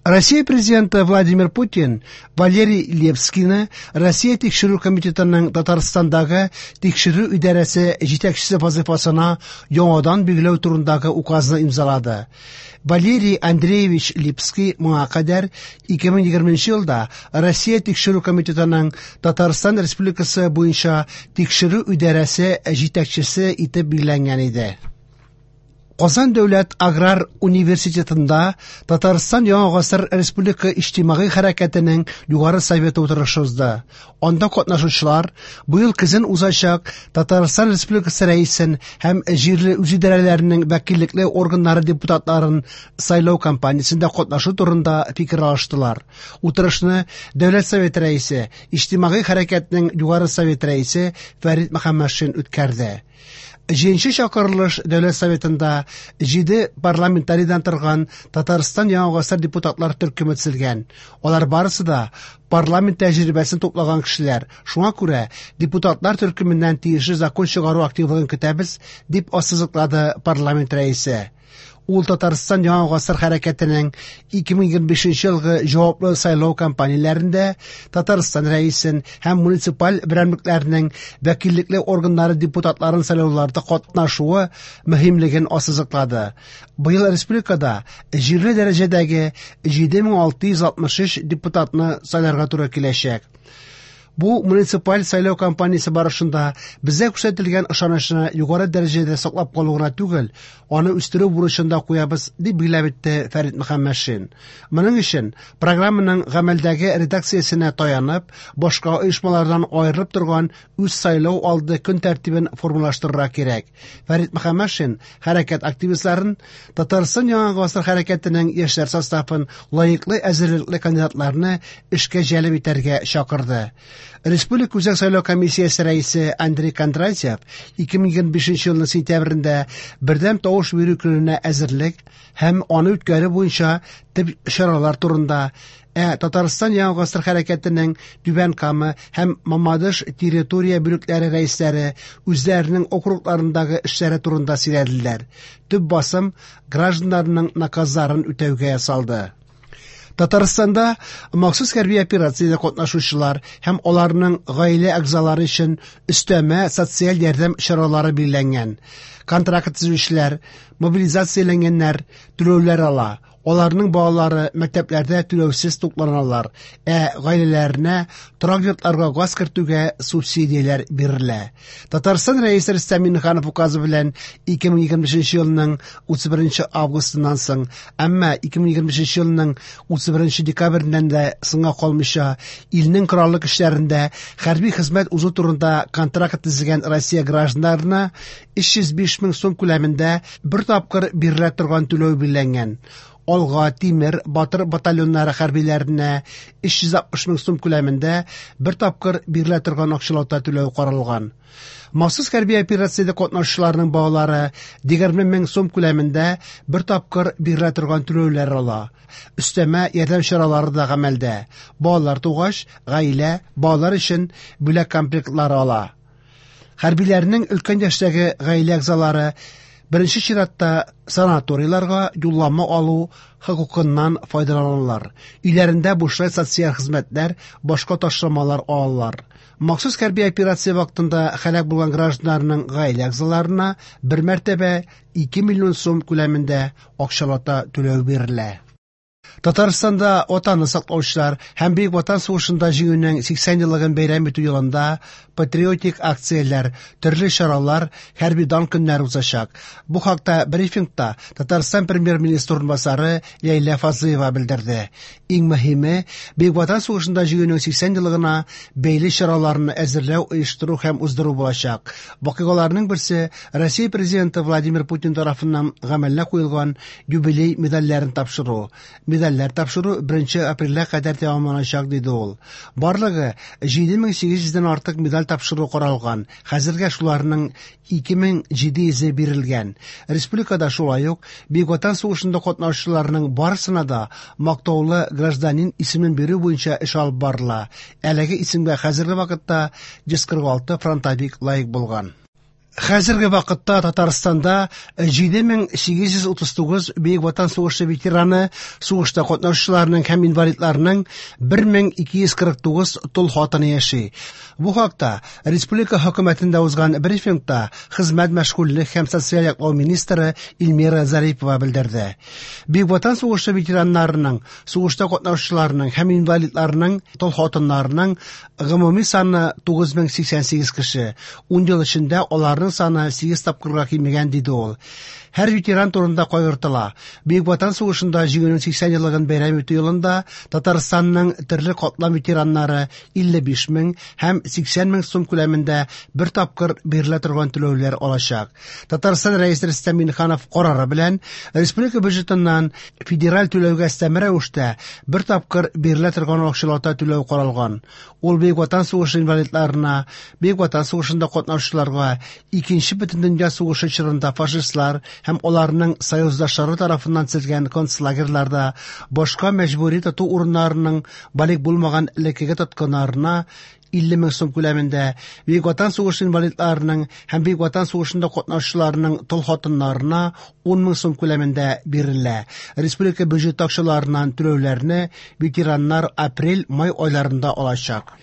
Россия Президенты Владимир Путин Валерий Лепскийны Россия Тикшерү комитетының Татарстандагы тикшерү идарәсе җитәкчесе вазыйфасына яңадан билгеләү турындагы указны имзалады. Валерий Андреевич Липский моңа кадәр 2020 елда Россия Тикшерү комитетының Татарстан Республикасы буенча тикшерү идарәсе җитәкчесе итеп билгеләнгән иде. Казан дәүләт аграр университетында Татарстан Яңа гасыр республика иҗтимагый хәрәкәтенең Югары советы утырышы узды. Анда катнашучылар быел көзен узачак Татарстан Республикасы Рәисен һәм җирле үзидарәләренең вәкиллекле органнары депутатларын сайлау кампаниясендә катнашу турында фикер алыштылар. Утырышны Дәүләт Советы Рәисе, иҗтимагый хәрәкәтнең Югары Советы Рәисе Фәрит Мөхәммәтшин үткәрде. Җиденче чакырылыш Дәүләт Советында җиде парламентарийдан торган Татарстан Яңа гасыр депутатлар төркеме төзелгән. Алар барысы да парламент тәҗрибәсен туплаган кешеләр. Шуңа күрә депутатлар төркеменнән тиешле закон чыгару активлыгын көтәбез, дип ассызыклады парламент рәисе. Ул Татарстан Яңа гасыр хәрәкәтенең 2025 елгы җаваплы сайлау кампанияләрендә Татарстан Рәисен һәм муниципаль берәмлекләрнең вәкиллекле органнары депутатларын сайлауларда катнашуы мөһимлеген ассызыклады. Быел республикада җирле дәрәҗәдәге 7663 депутатны сайларга туры киләчәк. Бу муниципаль сайлау кампаниясе барышында безгә күрсәтелгән ышанычны югары дәрәҗәдә саклап калу гына түгел, аны үстерү бурычын да куябыз, дип билгеләп үтте Фәрит Мөхәммәтшин. Моның өчен программаның гамәлдәге редакциясенә таянып, башка оешмалардан аерылып торган үз сайлау алды көн тәртибен формалаштырырга кирәк. Фәрит Мөхәммәтшин хәрәкәт активистларын Татарстан Яңа гасыр хәрәкәтенең яшьләр составын лаеклы әзерлекле кандидатларны эшкә җәлеп итәргә чакырды. Республика Үзәк сайлау комиссиясе рәисе Андрей Кондратьев 2025 елның сентябрендә бердәм тавыш бирү көненә әзерлек һәм аны үткәрү буенча төп чаралар турында, ә Татарстан Яңа гасыр хәрәкәтенең Түбән Кама һәм Мамадыш территория бүлекләре рәисләре үзләренең округларындагы эшләре турында сөйләделәр. Төп басым гражданнарның наказларын үтәүгә ясалды. Татарстанда махсус хәрби операциядә катнашучылар һәм аларның гаилә әгъзалары өчен өстәмә социаль ярдәм чаралары билгеләнгән. Контракт төзүчеләр, мобилизацияләнгәннәр түләүләр ала. Аларның балалары мәктәпләрдә түләүсез тукланалар, ә гаиләләренә торак йортларга газ кертүгә субсидияләр бирелә. Татарстан Рәисе Рөстәм Миңнеханов указы белән 2025 елның 31 августыннан соң, әмма 2025 елның 31 декабреннән дә соңга калмыйча, илнең кораллы көчләрендә хәрби хезмәт узу турында контракт төзегән Россия гражданнарына 305 мең сум күләмендә бер тапкыр бирелә торган түләү билгеләнгән. Алга, Тимер, Батыр батальоннары хәрбиләренә 360 мең сум күләмендә бер тапкыр бирелә торган акчалата түләү каралган. Махсус хәрби операциядә катнашучыларның балалары 20 мең сум күләмендә бер тапкыр бирелә торган түләүләр ала. Өстәмә ярдәм чаралары да гамәлдә. Балалар тугач, гаилә балалар өчен бүләк комплектлары ала. Хәрбиләрнең өлкән яшьтәге гаилә әгъзалары беренче чиратта санаторийларга юллама алу хокукыннан файдаланалар. Өйләрендә бушлай социаль хезмәтләр, башка ташламалар алалар. Махсус хәрби операция вакытында һәлак булган гражданнарның гаилә әгъзаларына бер мәртәбә 2 миллион сум күләмендә акчалата түләү бирелә. Татарстанда Ватанны саклаучылар һәм Бөек Ватан сугышында җиңүнең 80 еллыгын бәйрәм итү елында патриотик акцияләр, төрле чаралар, хәрби дан көннәре узачак. Бу хакта брифингта Татарстан премьер-министры урынбасары Ләйлә Фазлыева белдерде. Иң мөһиме, Бөек Ватан сугышында җиңүнең 80 еллыгына бәйле чараларны әзерләү, оештыру һәм уздыру булачак. Вакыйгаларның берсе Россия Президенты Владимир Путин тарафыннан гамәлгә куелган юбилей медальләрен тапшыру. Медальләр тапшыру 1 апрельгә кадәр тәмамланачак, диде ул. Барлыгы 7800 дән артык медаль тапшыру каралган. Хәзергә шуларның 2700-е бирелгән. Республикада шулай ук Бөек Ватан сугышында катнашучыларның барысына да мактаулы гражданин исемен бирү буенча эш алып барыла. Әлеге исемгә хәзерге вакытта 146 фронтовик лаек булган. Хәзерге вакытта Татарстанда 7839 Бөек Ватан сугышы ветераны, сугышта катнашучыларның һәм инвалидларның 1249 тол хатыны яши. Бу хакта республика хөкүмәтендә узган брифингта хезмәт, мәшгульлек һәм социаль яклау министры Эльмира Зарипова белдерде. Бөек Ватан сугышы ветераннарының, сугышта катнашучыларның һәм инвалидларның тол хатыннарының гомуми саны 9088 кеше. 10 ел эчендә аларның саны 8 тапкырга кимегән, диде ул. Һәр ветеран турында кайгыртыла. Бөек Ватан сугышында җиңүнең 80 еллыгын бәйрәм итү елында Татарстанның төрле катлам ветераннары 55 мең һәм 80 мең сум күләмендә бер тапкыр бирелә торган түләүләр алачак. Татарстан Рәисе Рөстәм Миңнеханов карары белән республика бюджетыннан федераль түләүгә өстәмә рәвештә бер тапкыр бирелә торган акчалата түләү каралган. Ул Бөек Ватан сугышы инвалидларына, Бөек Ватан сугышында катнашучыларга, Икенче бөтендөнья сугышы чорында фашистлар һәм аларның союздашлары тарафыннан төзелгән концлагерьларда, башка мәҗбүри тоту урыннарының балигъ булмаган элеккеге тоткыннарына 50 мең сум күләмендә, Бөек Ватан сугышы инвалидларының һәм Бөек Ватан сугышында катнашучыларның тол хатыннарына 10 мең сум күләмендә бирелә. Республика бюджеты акчаларыннан түләүләрне ветераннар апрель-май айларында алачак.